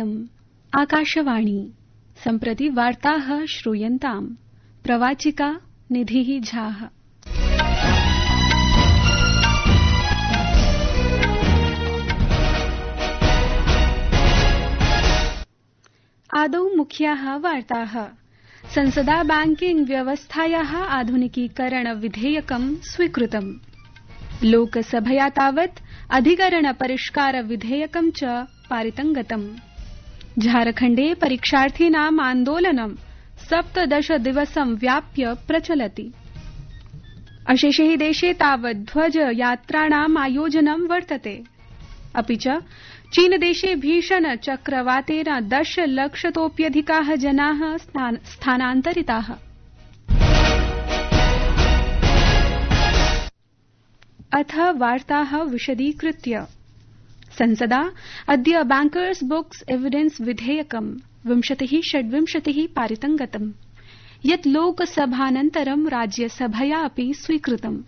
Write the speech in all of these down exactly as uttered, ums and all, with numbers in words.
इयम् आकाशवाणी सम्प्रति वार्ताः श्रूयन्ताम् प्रवाचिका निधिः झाः। आदौ मुख्याः वार्ताः। संसदा बैंकिंग व्यवस्थायाः आधुनिकीकरण विधेयकं स्वीकृतम्। लोकसभया तावत् अधिकरण परिष्कार विधेयकं च पारितं गतम्। झारखण्डे परीक्षार्थिनाम् आन्दोलनं सप्तदश दिवसं व्याप्य प्रचलति। अशेषे हि देशे तावत् ध्वज यात्राणाम् आयोजनं वर्तते। अपि च चीनदेशे भीषण चक्रवातेन दश लक्षतोऽप्यधिकाः जनाः स्थानान्तरिताः। अथ वार्ताः विशदीकृत्य। संसदा अद्य बैंकर्स बुक्स एविडेंस विधेयकं विंशतिः षड्विंशतिः पारितं गतम्, यत् लोकसभानन्तरं राज्यसभया अपि स्वीकृतम्।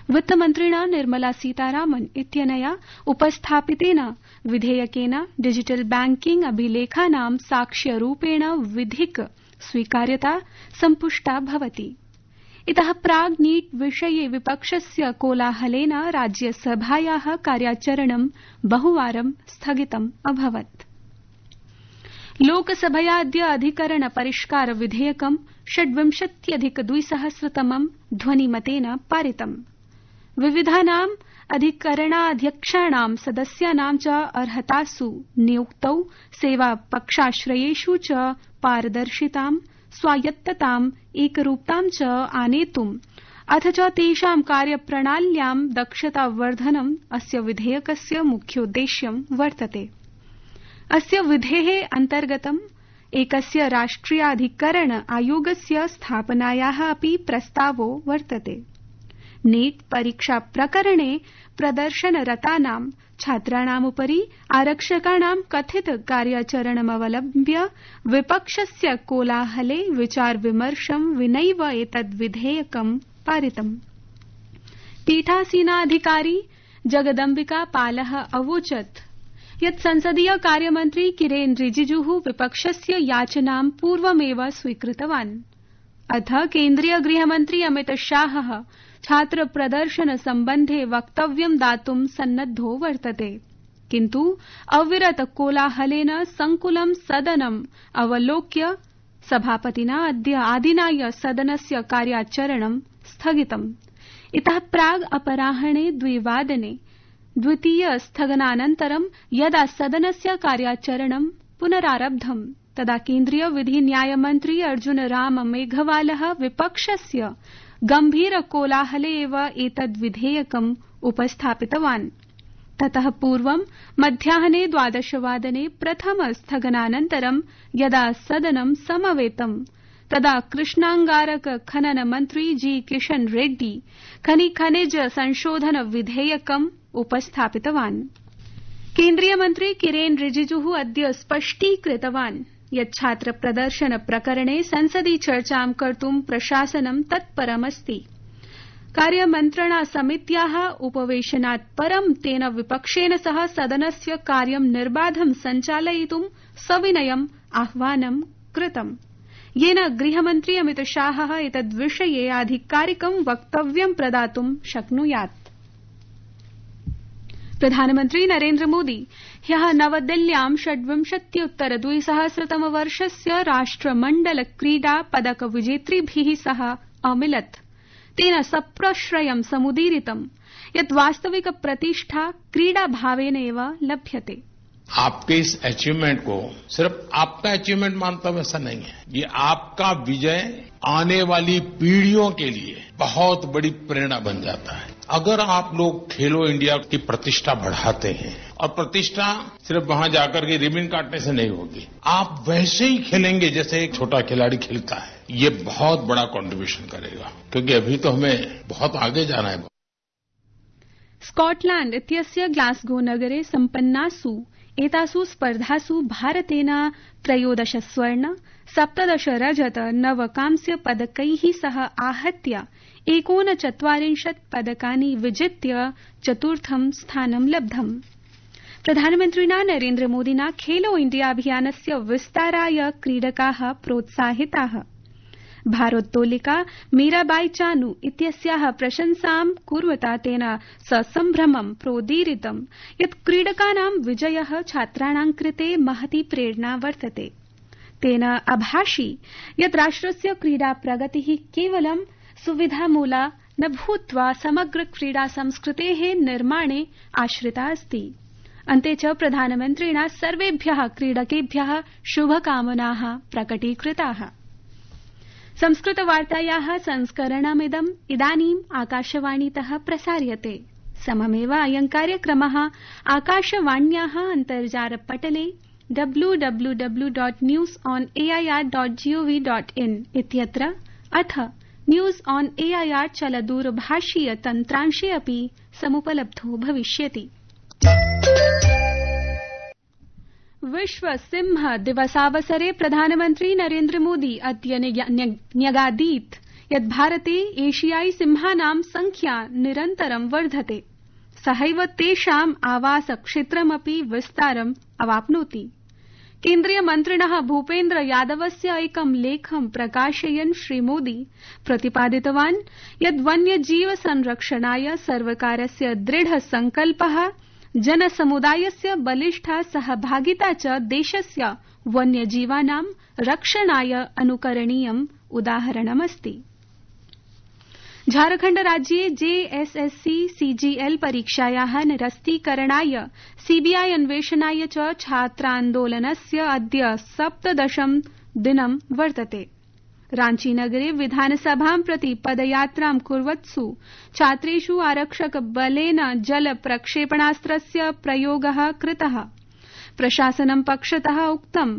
वित्तमन्त्रिणा निर्मला सीतारामन इत्यनया उपस्थापितेन विधेयकेन डिजिटल बैंकिंग अभिलेखानां साक्ष्यरूपेण विधिक स्वीकार्यता सम्पुष्टा भवति। इतः प्राग् नीट विषये विपक्षस्य कोलाहलेन राज्यसभायाः कार्याचरणं बहुवारं स्थगितम् अभवत्। लोकसभया अद्य अधिकरण परिष्कार विधेयकं षड्विंशत्यधिक द्विसहस्रतमं ध्वनिमतेन पारितम्। विविधानाम् अधिकरणाध्यक्षाणां सदस्यानां च अर्हतासु नियुक्तौ सेवापक्षाश्रयेषु च पारदर्शितां स्वायत्तताम् एकरूपतां च आनेतुम् अथ च तेषां कार्यप्रणाल्यां दक्षतावर्धनम् अस्य विधेयकस्य मुख्योद्देश्यं वर्तते। अस्य विधेः अन्तर्गतम् एकस्य राष्ट्रियाधिकरण आयोगस्य स्थापनायाः अपि प्रस्तावो वर्तते। नीट परीक्षा प्रकरणे प्रदर्शनरतानां छात्राणामुपरि आरक्षकाणां कथित कार्याचरणमवलम्ब्य विपक्षस्य कोलाहले विचार विमर्शं विनैव एतद् विधेयकं पारितम्। पीठासीनाधिकारी जगदम्बिका पालः अवोचत् यत् संसदीय कार्यमन्त्री किरेन रिजिजुः विपक्षस्य याचनां पूर्वमेव स्वीकृतवान्। अथ केन्द्रीय गृहमन्त्री अमित शाहः छात्र प्रदर्शन सम्बन्धे वक्तव्यं दातुं सन्नद्धो वर्तते, किन्तु अविरत कोलाहलेन संकुलं सदनम् अवलोक्य सभापतिना अद्य आदिनाय सदनस्य कार्याचरणं स्थगितम्। इतः प्राग् अपराह्णे द्विवादने द्वितीय स्थगनानन्तरं यदा सदनस्य कार्याचरणं पुनरारब्धम् तदा केन्द्रीय विधि न्यायमन्त्री अर्जुन राम मेघवालः विपक्षस्य गम्भीर कोलाहले एव एतद् विधेयकम् उपस्थापितवान्। ततः पूर्वं मध्याह्ने द्वादशवादने प्रथम स्थगनानन्तरं यदा सदनं समवेतम् तदा कृष्णांगारक खनन मन्त्री जी किशन रेड्डी खनि खनिज संशोधन विधेयकम् उपस्थापितवान्। केन्द्रीय मन्त्री किरेन रिजिजुः अद्य स्पष्टीकृतवान् यत् छात्र प्रदर्शन प्रकरणे संसदि चर्चां कर्तुं प्रशासनं तत्परमस्ति। कार्यमन्त्रणा समित्याः उपवेशनात् परं तेन विपक्षेन सह सदनस्य कार्यं निर्बाधं सञ्चालयितुं सविनयम् आह्वानं कृतम्, येन गृहमन्त्री अमित शाहः एतद्विषये आधिकारिकं वक्तव्यं प्रदातुं शक्नुयात्। प्रधानमन्त्री नरेन्द्र मोदी ह्यः नवदिल्ल्यां षड्विंशत्युत्तर द्विसहस्रतम वर्षस्य राष्ट्रमण्डल क्रीडा पदक विजेतृभिः सह अमिलत्। तेन सप्रश्रयं समुदीरितं यत् वास्तविक प्रतिष्ठा क्रीडाभावेन एव लभ्यते। आपके इस अचीवमेंट को सिर्फ आपका अचीवमेंट मानता हूं ऐसा नहीं है, ये आपका विजय आने वाली पीढ़ियों के लिए बहुत बड़ी प्रेरणा बन जाता है। अगर आप लोग खेलो इंडिया की प्रतिष्ठा बढ़ाते हैं, और प्रतिष्ठा सिर्फ वहां जाकर के रिबन काटने से नहीं होगी, आप वैसे ही खेलेंगे जैसे एक छोटा खिलाड़ी खेलता है, ये बहुत बड़ा कंट्रीब्यूशन करेगा, क्योंकि अभी तो हमें बहुत आगे जाना है। स्कॉटलैंड इत्यस्य ग्लासगो नगरे सम्पन्नासु एतासु स्पर्धासु भारतेन त्रयोदश स्वर्ण सप्तदश रजत नव कांस्य पदकैः सह आहत्य एकोनचत्वारिंशत् पदकानि विजित्य चतुर्थं स्थानं लब्धम्। प्रधानमन्त्रिणा नरेन्द्र मोदिना खेलो इंडिया अभियानस्य विस्ताराय क्रीडकाः प्रोत्साहिताः। भारोत्तोलिका मीराबाई चानू इत्यस्याः प्रशंसां कुर्वता तेन ससम्भ्रमं प्रोदीरितं यत् क्रीडकानां विजयः छात्राणां कृते महती प्रेरणा वर्तते। तेन अभाषि यत् राष्ट्रस्य क्रीडा प्रगतिः केवलं सुविधामूला न भूत्वा समग्र क्रीडा संस्कृतेः निर्माणे आश्रिता अस्ति। अन्ते च प्रधानमन्त्रिणा सर्वेभ्यः क्रीडकेभ्यः शुभकामनाः प्रकटीकृताः। संस्कृतवार्तायाः संस्करणमिदम् इदानीम् आकाशवाणीतः प्रसार्यते। सममेव अयं कार्यक्रमः आकाशवाण्याः अन्तर्जालपटले W W W dot news on AIR dot GOV dot in इत्यत्र अथ न्यूज ऑन एआईआर चलदूरभाषीय तन्त्रांशे अपि समुपलब्धो भविष्यति। विश्व सिंह दिवसावसरे प्रधानमन्त्री नरेन्द्र मोदी अद्य न्यगादीत् यत् भारते एशियाई सिंहानां संख्या निरन्तरं वर्धते। सहैव तेषाम् आवासक्षेत्रमपि विस्तारम् अवाप्नोति। केन्द्रीयमन्त्रिणः भूपेन्द्र यादवस्य एकं लेखं प्रकाशयन् श्रीमोदी प्रतिपादितवान् यत् वन्यजीव संरक्षणाय सर्वकारस्य दृढ संकल्पः जनसमुदायस्य बलिष्ठा सहभागिता च देशस्य वन्यजीवानां रक्षणाय अनुकरणीयम् उदाहरणमस्ति। झारखण्ड राज्ये जेएसएससी सीजीएल परीक्षायाः निरस्तीकरणाय सीबीआई अन्वेषणाय च छात्रान्दोलनस्य अद्य सप्तदशं दिनं वर्तते। रांचीनगरे विधानसभां प्रति पदयात्रां कुर्वत्सु छात्रेषु आरक्षकबलेन जल प्रक्षेपणास्त्रस्य प्रयोगः कृतः। प्रशासनं पक्षतः उक्तं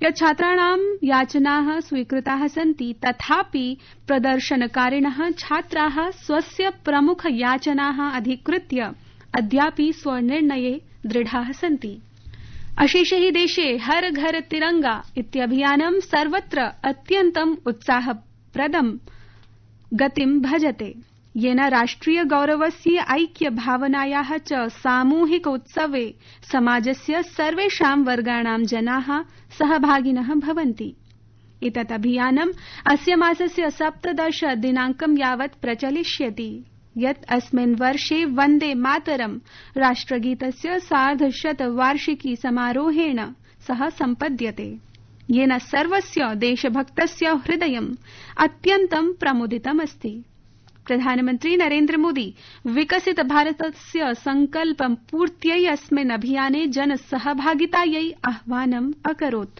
यत् छात्राणां याचनाः स्वीकृताः सन्ति, तथापि प्रदर्शनकारिणः छात्राः स्वस्य प्रमुख याचनाः अधिकृत्य अद्यापि स्वनिर्णये दृढाः सन्ति। अशेषे हि देशे हर घर तिरंगा इत्यभियानं सर्वत्र अत्यन्तम् उत्साहप्रदं गतिं भजते, येन राष्ट्रिय गौरवस्य ऐक्य भावनायाः च सामूहिक उत्सवे समाजस्य सर्वेषां वर्गाणां जनाः सहभागिनः भवन्ति। एतत् अभियानम् अस्य मासस्य सप्तदश दिनाङ्कं यावत् प्रचलिष्यति, यत् अस्मिन् वर्षे वन्दे मातरं राष्ट्रगीतस्य सार्धशत वार्षिकी समारोहेण सह सम्पद्यते, येन सर्वस्य देशभक्तस्य हृदयम् अत्यन्तं प्रमुदितमस्ति। प्रधानमन्त्री नरेन्द्र मोदी विकसित भारतस्य संकल्पं पूर्त्यै अस्मिन् अभियाने जनसहभागितायै आह्वानम् अकरोत्।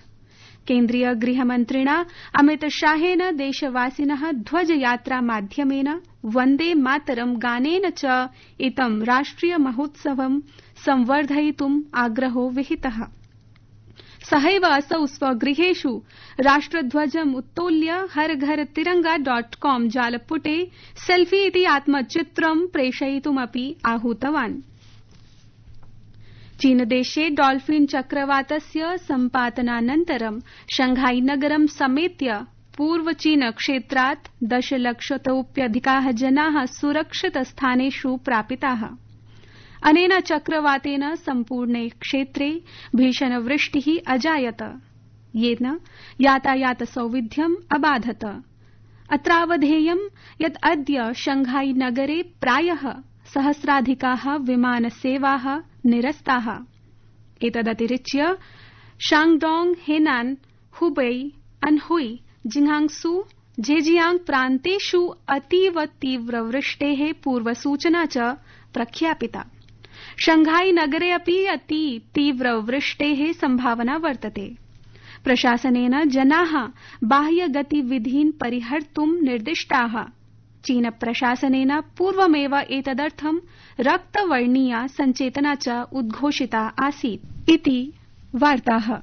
केन्द्रीय गृहमन्त्रिणा अमित शाहेन देशवासिनः ध्वजयात्रा माध्यमेन वन्दे मातरं गानेन च इदं राष्ट्रिय महोत्सवं संवर्धयितुम् आग्रहो विहितः। सहैव असौ स्वगृहेषु राष्ट्रध्वजम् उत्तोल्य हर घर तिरंगा डॉट कॉम जालपुटे सेल्फी इति आत्मचित्रं प्रेषयितुमपि आहूतवान्। चीनदेशे डॉल्फिन चक्रवातस्य सम्पातनानन्तरं शंघाई नगरं समेत्य पूर्व चीन क्षेत्रात् दशलक्षतोऽप्यधिकाः जनाः सुरक्षितस्थानेषु प्रापिताः। अनेन चक्रवातेन सम्पूर्णे क्षेत्रे भीषणवृष्टिः अजायत, येन यातायातसौविध्यम् अबाधत। अत्रावधेयं यत् अद्य शंघाई नगरे प्रायः सहस्राधिकाः विमानसेवाः निरस्ताः। एतदतिरिच्य शांगडोंग, हेनान, हुबेई, अनहुई, जिंगांसू, झेजियांग प्रान्तेषु अतीव तीव्रवृष्टेः पूर्वसूचना च प्रख्यापिता। शंघाई नगरे अपि अति तीव्रवृष्टेः संभावना वर्तते। प्रशासनेन जनाः बाह्यगतिविधीन् परिहर्तुं निर्दिष्टाः। चीन प्रशासनेन पूर्वमेव एतदर्थं रक्तवर्णीया सञ्चेतना च उद्घोषिता आसीत् इति वार्ताः।